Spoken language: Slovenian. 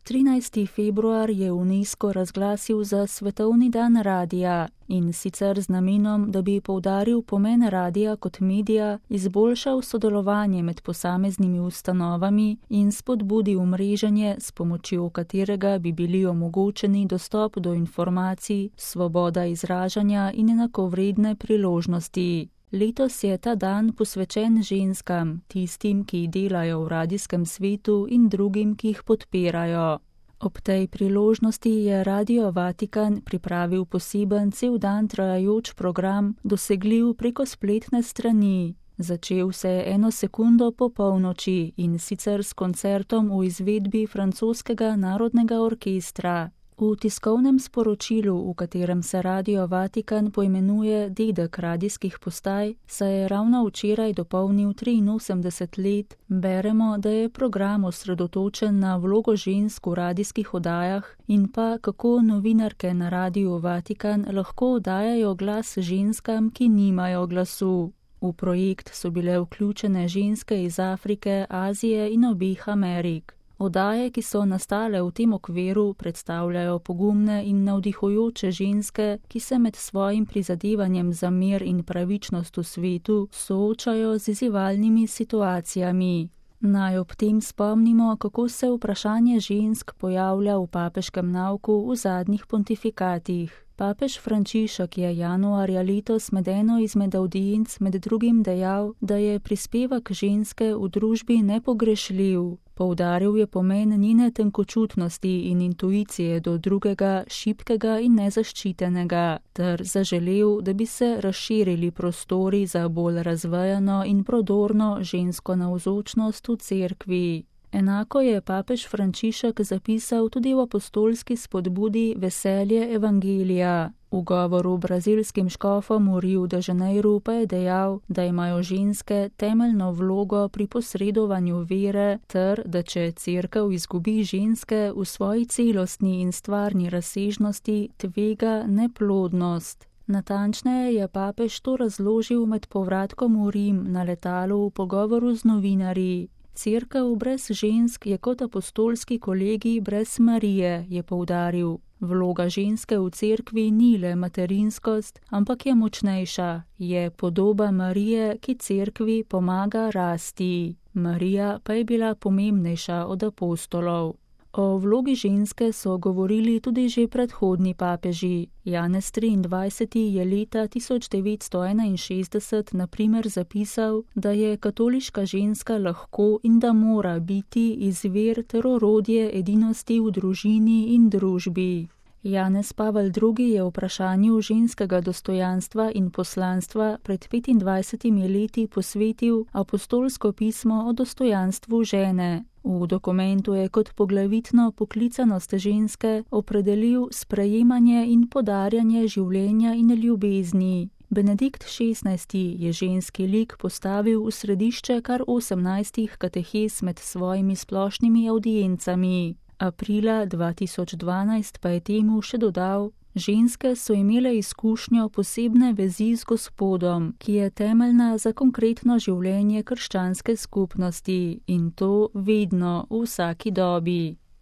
13. februar je UNESCO razglasil za Svetovni dan radija, in sicer z namenom, da bi poudaril pomen radija kot medija, izboljšal sodelovanje med posameznimi ustanovami in spodbudil mreženje, s pomočjo katerega bi bili omogočeni dostop do informacij, svoboda izražanja in enakovredne priložnosti. Letos je ta dan posvečen ženskam, tistim, ki delajo v radijskem svetu in drugim, ki jih podpirajo. Ob tej priložnosti je Radio Vatikan pripravil poseben cel dan trajajoč program, dosegljiv preko spletne strani. Začel se je 1 sekundo po polnoči, in sicer s koncertom v izvedbi francoskega narodnega orkestra. V tiskovnem sporočilu, v katerem se Radio Vatikan poimenuje dedek radijskih postaj, se je ravno včeraj dopolnil 83 let, beremo, da je program osredotočen na vlogo žensk v radijskih oddajah in pa kako novinarke na Radiu Vatikan lahko oddajajo glas ženskam, ki nimajo glasu. V projekt so bile vključene ženske iz Afrike, Azije in obeh Amerik. Oddaje, ki so nastale v tem okviru, predstavljajo pogumne in navdihujoče ženske, ki se med svojim prizadevanjem za mir in pravičnost v svetu soočajo z izzivalnimi situacijami. Naj ob tem spomnimo, kako se vprašanje žensk pojavlja v papeškem nauku v zadnjih pontifikatih. Papež Frančišek je januarja letos med eno izmed avdienc med drugim dejal, da je prispevek ženske v družbi nepogrešljiv. Poudaril je pomen njene tenkočutnosti in intuicije do drugega, šibkega in nezaščitenega, ter zaželel, da bi se razširili prostori za bolj razvejano in prodorno žensko navzočnost v cerkvi. Enako je papež Frančišek zapisal tudi v apostolski spodbudi Veselje evangelija. V govoru brazilskim škofom v Rio de Janeiro pa je dejal, da imajo ženske temeljno vlogo pri posredovanju vere ter, da če cerkev izgubi ženske v svoji celostni in stvarni razsežnosti, tvega neplodnost. Natančneje je papež to razložil med povratkom v Rim na letalu v pogovoru z novinarji. Cerkev brez žensk je kot apostolski kolegij brez Marije, je poudaril. Vloga ženske v cerkvi ni le materinskost, ampak je močnejša, je podoba Marije, ki cerkvi pomaga rasti. Marija pa je bila pomembnejša od apostolov. O vlogi ženske so govorili tudi že predhodni papeži. Janez 23. je leta 1961 na primer zapisal, da je katoliška ženska lahko in da mora biti izvir ter orodje edinosti v družini in družbi. Janez Pavel II. Je vprašanju ženskega dostojanstva in poslanstva pred 25 leti posvetil apostolsko pismo o dostojanstvu žene. V dokumentu je kot poglavitno poklicanost ženske opredelil sprejemanje in podarjanje življenja in ljubezni. Benedikt XVI. Je ženski lik postavil v središče kar 18 katehes med svojimi splošnimi avdiencami. Aprila 2012 pa je temu še dodal: ženske so imele izkušnjo posebne vezi z Gospodom, ki je temeljna za konkretno življenje krščanske skupnosti, in to vedno, v vsaki dobi.